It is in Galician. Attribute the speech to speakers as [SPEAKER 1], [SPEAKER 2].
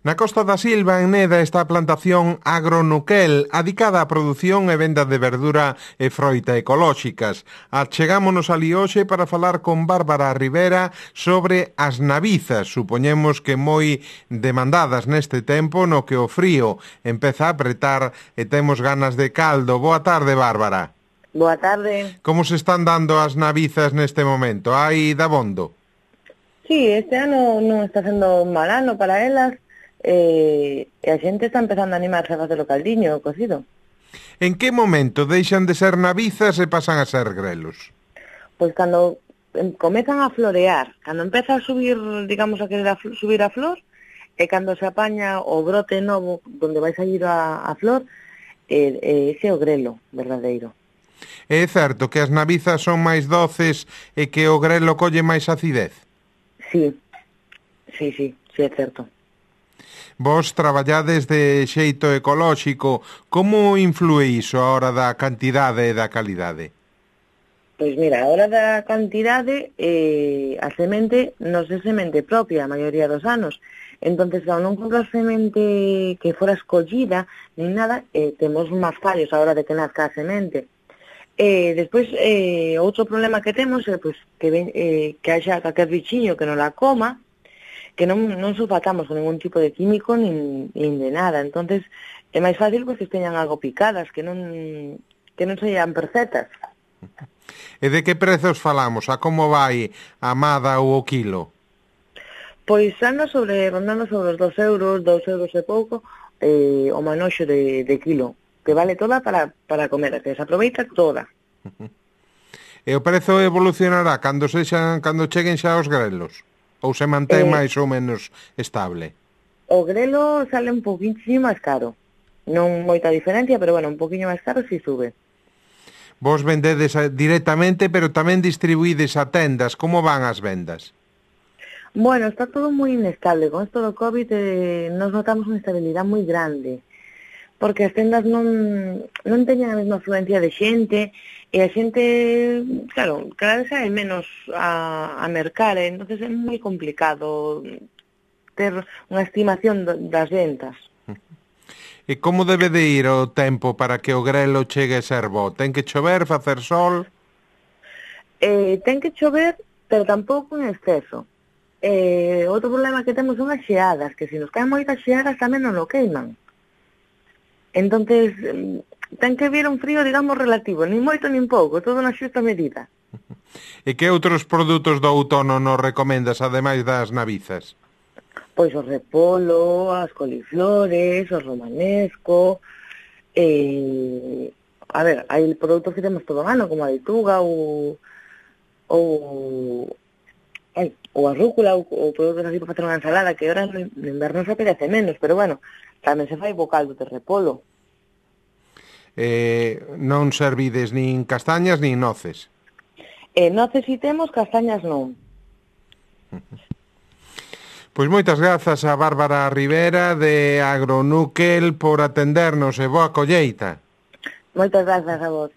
[SPEAKER 1] Na Costa da Silva, en Neda, está a plantación Agronuquel, adicada á produción e venda de verdura e froita ecolóxicas. Achegámonos alí hoxe para falar con Bárbara Rivera sobre as navizas, supoñemos que moi demandadas neste tempo no que o frío empeza a apretar e temos ganas de caldo. Boa tarde, Bárbara.
[SPEAKER 2] Boa tarde.
[SPEAKER 1] Como se están dando as navizas neste momento? Hai dabondo?
[SPEAKER 2] Sí, este ano non está sendo un mal ano para elas, e a xente está empezando a animarse a facer o caldiño, o cocido.
[SPEAKER 1] En que momento deixan de ser navizas e pasan a ser grelos?
[SPEAKER 2] Pois cando comezan a florear, cando empeza a subir, digamos, a querer subir a flor, e cando se apaña o brote novo, donde vai sair a flor, ese é o grelo verdadeiro.
[SPEAKER 1] É certo que as navizas son máis doces e que o grelo colle máis acidez?
[SPEAKER 2] Sí, é certo.
[SPEAKER 1] Vos traballades de xeito ecolóxico. Como influe iso a hora da cantidade e da calidade?
[SPEAKER 2] Pois mira, a hora da cantidade, a semente non é semente propia a maioría dos anos. Entonces, ao non comprar semente que fora escollida, nin nada, temos máis fallos a hora de que nazca a semente. Despois, outro problema que temos é pois, que haxa calquer bichiño que non la coma, que non sulfatamos con ningún tipo de químico nin de nada. Entonces, é máis fácil pois, que teñan algo picadas, que non seian perfectas.
[SPEAKER 1] E de que prezos falamos? A como vai a amada ou o quilo?
[SPEAKER 2] Pois anda rondando sobre os 2 euros e pouco, o manoxo de quilo, que vale toda para comer, que se aproveita toda.
[SPEAKER 1] E o prezo evolucionará cando cheguen xa os grelos? Ou se mantén máis ou menos estable?
[SPEAKER 2] O grelo sale un poquinho máis caro. Non moita diferencia, pero bueno, un poquinho máis caro si sube.
[SPEAKER 1] Vos vendedes directamente, pero tamén distribuídes a tendas. Como van as vendas?
[SPEAKER 2] Bueno, está todo moi inestable. Con esto do COVID nos notamos unha estabilidade moi grande. Porque as tendas non teñen a mesma afluencia de xente, e a xente, claro, cada vez hai menos a mercar, entonces é moi complicado ter unha estimación das ventas.
[SPEAKER 1] E como debe de ir o tempo para que o grelo chegue a ser bo? Ten que chover, facer sol?
[SPEAKER 2] Ten que chover, pero tampouco en exceso. Outro problema que temos son as xeadas, que se nos caen moitas xeadas tamén non o queiman. Entonces, ten que vir un frío, digamos, relativo, nin moito nin pouco, todo na xusta medida.
[SPEAKER 1] E que outros produtos do outono nos recomendas, ademais das navizas?
[SPEAKER 2] Pois o repolo, as coliflores, o romanesco, a ver, hai produtos que temos todo o ano, como a leituga ou a rúcula, ou produtos así para facer unha ensalada, que ahora no inverno se apetece menos, pero bueno, tamén se fai bo caldo de repolo.
[SPEAKER 1] Non servides nin castañas nin noces?
[SPEAKER 2] Noces si temos, castañas non.
[SPEAKER 1] Pois moitas grazas a Bárbara Rivera de Agronuquel por atendernos e boa colleita.
[SPEAKER 2] Moitas grazas a vos.